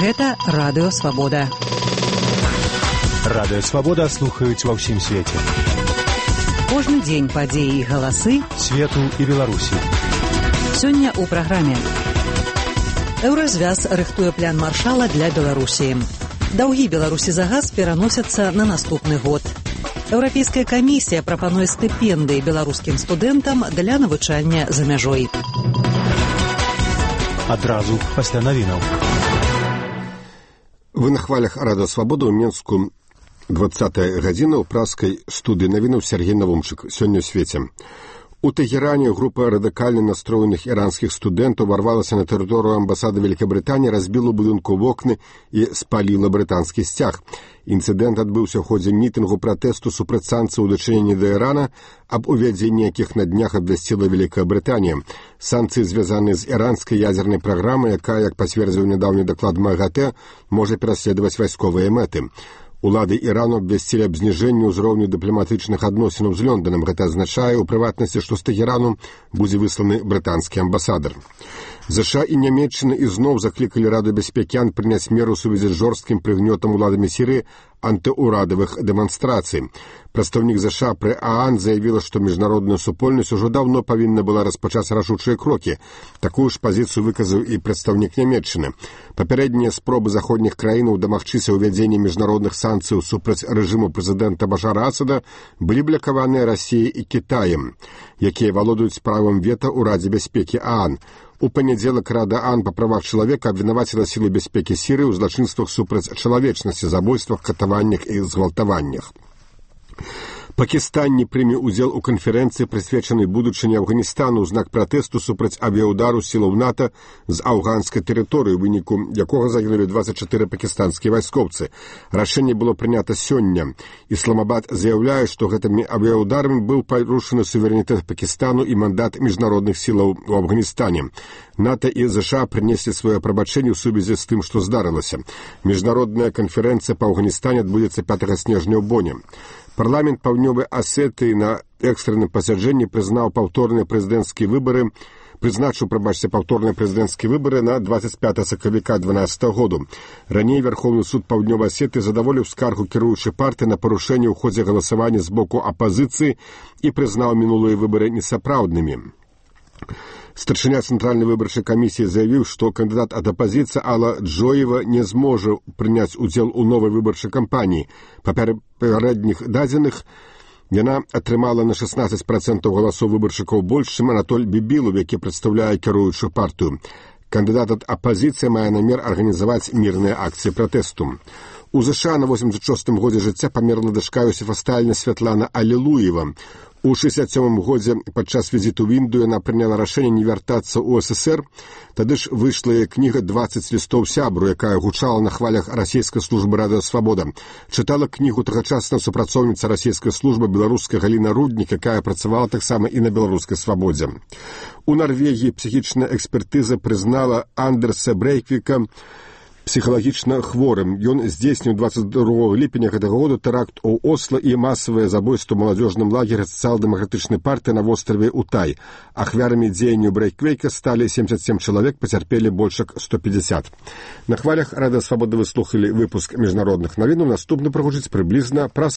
Гэта Радыё Свабода. Радыё Свабода слухаюць ва ўсім свеце. Кожны дзень падзеі і галасы свету і Беларусі. Сёння ў праграме. Еўразвяз рыхтуе план маршала для Беларусі. Даўгі Беларусі за газ пераносяцца на наступны год. Еўрапейская камісія прапануе стыпендыі беларускім студэнтам для навучання за мяжой. Адразу пасля навінаў. Вы на хвалях Радыё Свабода ў Менску 20-я гадзіна ў праскай студыі навінаў Сергей Навумчык. Сёння ў свеце. У Тегеране група радыкальна настроеных іранскіх студэнтаў варвалася на тэрыторыю амбасады Вялікабрытаніі, разбіла ў будынку вокны і спаліла брытанскі сцяг. Інцыдэнт адбыўся ў ходзе мітынгу пратэсту супраць санкцый у дачыненні да Ірана, аб увядзенні якіх на днях абвясціла Вялікая Брытанія. Санкцыі звязаны з іранскай ядзернай праграмай, якая, як пацвердзіў нядаўні даклад МАГАТЭ, можа пераследаваць вайсковыя мэты. Улады Ірану абвясцілі аб зніжэнні ўзроўню дыпламатычных адносінаў з Лондонам. Гэта азначае, у прыватнасці, што з Тегерану будзе высланы брытанскі амбасадар. ЗША і Нямецчына ізноў заклікалі Раду бяспекі АН прыняць меру ў сувязі з жорсткім прыгнётам уладамі Сірыі антыурадавых дэманстрацый. Прадстаўнік ЗША пры ААН заявіла, што міжнародная супольнасць ужо даўно павінна была распачаць рашучыя крокі. Такую ж пазіцыю выказаў і прадстаўнік Нямецчыны. Папярэднія спробы заходніх краінаў дамагчыся ўвядзення міжнародных санкцыяў супраць рэжыму прэзідэнта Башара Асада былі блакаваныя Расіяй і Кітаем, якія валодаюць правам вета ў Радзе бяспекі ААН. У панядзелак Рада ААН па правах чалавека абвінаваціла сілы бяспекі Сірыі ў злачынствах супраць чалавечнасці, забойствах, катаваннях і згвалтаваннях. Пакістан не прыме ўдзел у канферэнцыі, прысвечанай будучыні Афганістану ў знак пратэсту супраць авіяўдару сілаў НАТО з афганскай тэрыторыі, у выніку якога загінулі 24 пакістанскія вайскоўцы. Рашэнне было прынята сёння. Ісламабад заяўляе, што гэтымі авіяўдарамі быў парушаны суверэнітэт Пакістану і мандат міжнародных сілаў у Афганістане. НАТО і ЗША прынеслі сваё прабачэнне ў сувязі з тым, што здарылася. Міжнародная канферэнцыя па Афганістане адбудзецца 5 снежня ў Боне. Парламент Паўднёвай Асетыі на экстранным пасяджэнні прызначыў паўторныя прэзідэнцкія выбары на 25 сакавіка 2012 году. Раней Верховны суд Паўднёвай Асетыі задаволіў скаргу кіруючай партыі на парушэнне ў ходзе галасавання з боку апазіцыі і прызнаў мінулыя выбары несапраўднымі. Старшыня Цэнтральнай выбарчай камісіі заявіў, што кандыдат ад апазіцыі Алла Джоева не зможа прыняць удзел у новай выбарчай кампаніі. Па папярэдніх дадзеных яна атрымала на 16% галасоў выбаршчыкаў больш, чым Анатоль Бібілаў, які прадстаўляе кіруючую партыю. Кандыдат ад апазіцыі мае намер арганізаваць мірныя акцыі пратэсту. У ЗША на 86-м годзе жыцця памерла дачка Йосіфа Сталіна Святлана Алілуева. У 67-м годзе падчас візіту ў Індыю яна прыняла рашэнне не вяртацца ў СССР. Тады ж выйшла яе кніга «20 лістоў сябру», якая гучала на хвалях расійскай службы Радыё Свабода. Чытала кнігу тагачасная супрацоўніца расійскай службы беларуская Галіна Руднік, якая працавала таксама і на беларускай свабодзе. У Нарвегіі псіхічная экспертыза прызнала Андерса Брейквіка псіхалагічна хворым. Ён здзейсніў 22 ліпеня гэтага года тэракт у Осла і масавае забойства ў маладзёжным лагеры сацыял-дэмакратычнай партыі на востраве Утай. Ахвярамі дзеянняў Брейквейка сталі 77 чалавек, пацярпелі больш як 150. На хвалях Радыё Свабода вы слухалі выпуск міжнародных навінаў. Наступны прагучыць прыблізна праз